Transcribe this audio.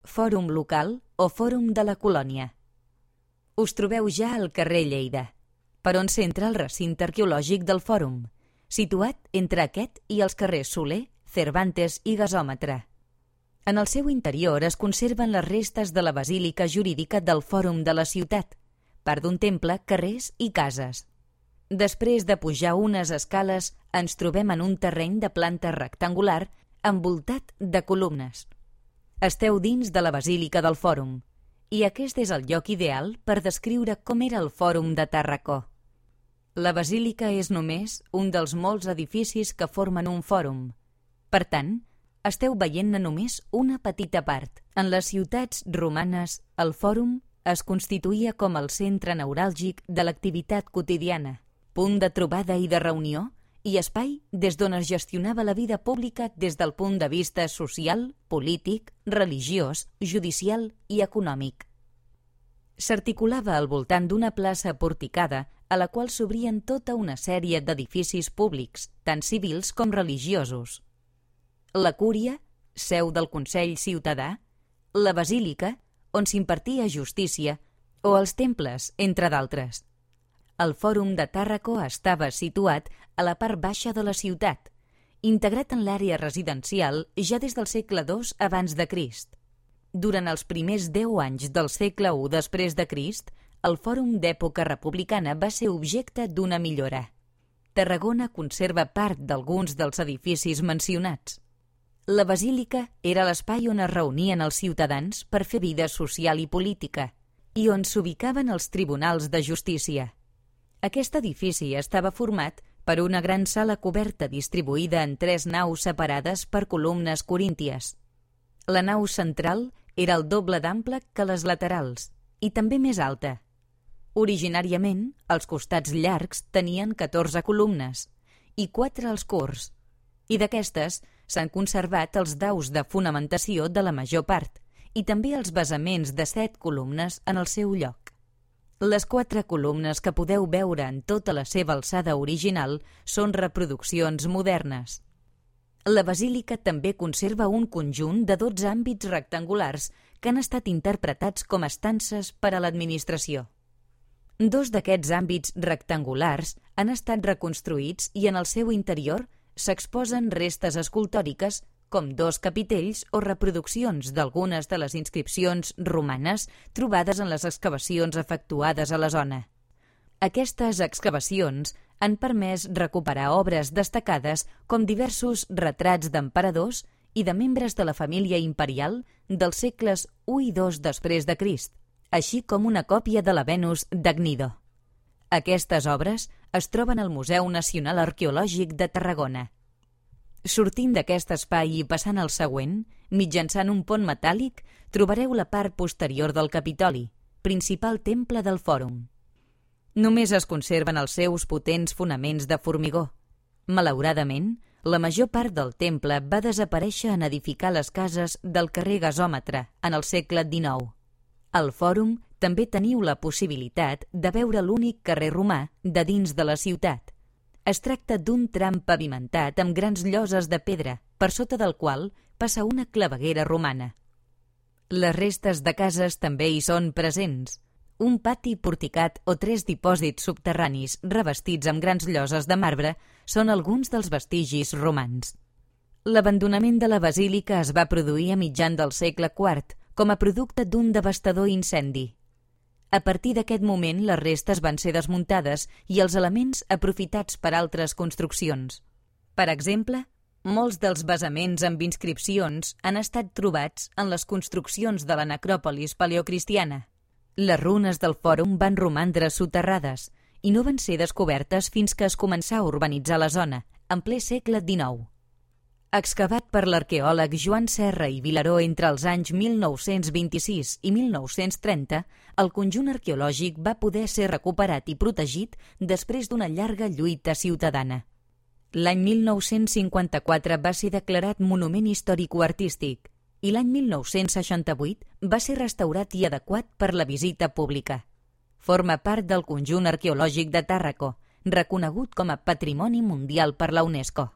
Fòrum Local o Fòrum de la Colònia. Us trobeu ja al carrer Lleida, per on s'entra el recinte arqueològic del Fòrum, situat entre aquest i els carrers Soler, Cervantes i Gasòmetre. En el seu interior es conserven les restes de la basílica jurídica del Fòrum de la ciutat, part d'un temple, carrers i cases. Després de pujar unes escales, ens trobem en un terreny de planta rectangular envoltat de columnes. Esteu dins de la basílica del Fòrum, i aquest és el lloc ideal per descriure com era el Fòrum de Tàrraco. La basílica és només un dels molts edificis que formen un fòrum. Per tant, esteu veient-ne només una petita part. En les ciutats romanes, el fòrum es constituïa com el centre neuràlgic de l'activitat quotidiana, punt de trobada i de reunió, i espai des d'on es gestionava la vida pública des del punt de vista social, polític, religiós, judicial i econòmic. S'articulava al voltant d'una plaça porticada a la qual s'obrien tota una sèrie d'edificis públics, tant civils com religiosos. La cúria, seu del Consell Ciutadà, la basílica, on s'impartia justícia, o els temples, entre d'altres. El Fòrum de Tàrraco estava situat a la part baixa de la ciutat, integrat en l'àrea residencial ja des del segle II abans de Crist. Durant els primers 10 anys del segle I després de Crist, el Fòrum d'època republicana va ser objecte d'una millora. Tarragona conserva part d'alguns dels edificis mencionats. La basílica era l'espai on es reunien els ciutadans per fer vida social i política, i on s'ubicaven els tribunals de justícia. Aquest edifici estava format per una gran sala coberta distribuïda en 3 naus separades per columnes corínties. La nau central era el doble d'ample que les laterals, i també més alta. Originàriament, els costats llargs tenien 14 columnes i 4 als curts, i d'aquestes s'han conservat els daus de fonamentació de la major part i també els basaments de 7 columnes en el seu lloc. Les 4 columnes que podeu veure en tota la seva alçada original són reproduccions modernes. La basílica també conserva un conjunt de 12 àmbits rectangulars que han estat interpretats com a estances per a l'administració. 2 d'aquests àmbits rectangulars han estat reconstruïts i en el seu interior s'exposen restes escultòriques com 2 capitells o reproduccions d'algunes de les inscripcions romanes trobades en les excavacions efectuades a la zona. Aquestes excavacions han permès recuperar obres destacades com diversos retrats d'emperadors i de membres de la família imperial dels segles I i II després de Crist, així com una còpia de la Venus d'Agnido. Aquestes obres es troben al Museu Nacional Arqueològic de Tarragona. Sortint d'aquest espai i passant al següent, mitjançant un pont metàl·lic, trobareu la part posterior del Capitoli, principal temple del Fòrum. Només es conserven els seus potents fonaments de formigó. Malauradament, la major part del temple va desaparèixer en edificar les cases del carrer Gasòmetre en el segle XIX. Al Fòrum també teniu la possibilitat de veure l'únic carrer romà de dins de la ciutat. Es tracta d'un tram pavimentat amb grans lloses de pedra, per sota del qual passa una claveguera romana. Les restes de cases també hi són presents. Un pati porticat o 3 dipòsits subterranis revestits amb grans lloses de marbre són alguns dels vestigis romans. L'abandonament de la basílica es va produir a mitjan del segle IV com a producte d'un devastador incendi. A partir d'aquest moment, les restes van ser desmuntades i els elements aprofitats per altres construccions. Per exemple, molts dels basaments amb inscripcions han estat trobats en les construccions de la necròpolis paleocristiana. Les runes del Fòrum van romandre soterrades i no van ser descobertes fins que es començà a urbanitzar la zona, en ple segle XIX. Excavat per l'arqueòleg Joan Serra i Vilaró entre els anys 1926 i 1930, el conjunt arqueològic va poder ser recuperat i protegit després d'una llarga lluita ciutadana. L'any 1954 va ser declarat Monument Històrico-Artístic i l'any 1968 va ser restaurat i adequat per la visita pública. Forma part del conjunt arqueològic de Tàrraco, reconegut com a Patrimoni Mundial per la UNESCO.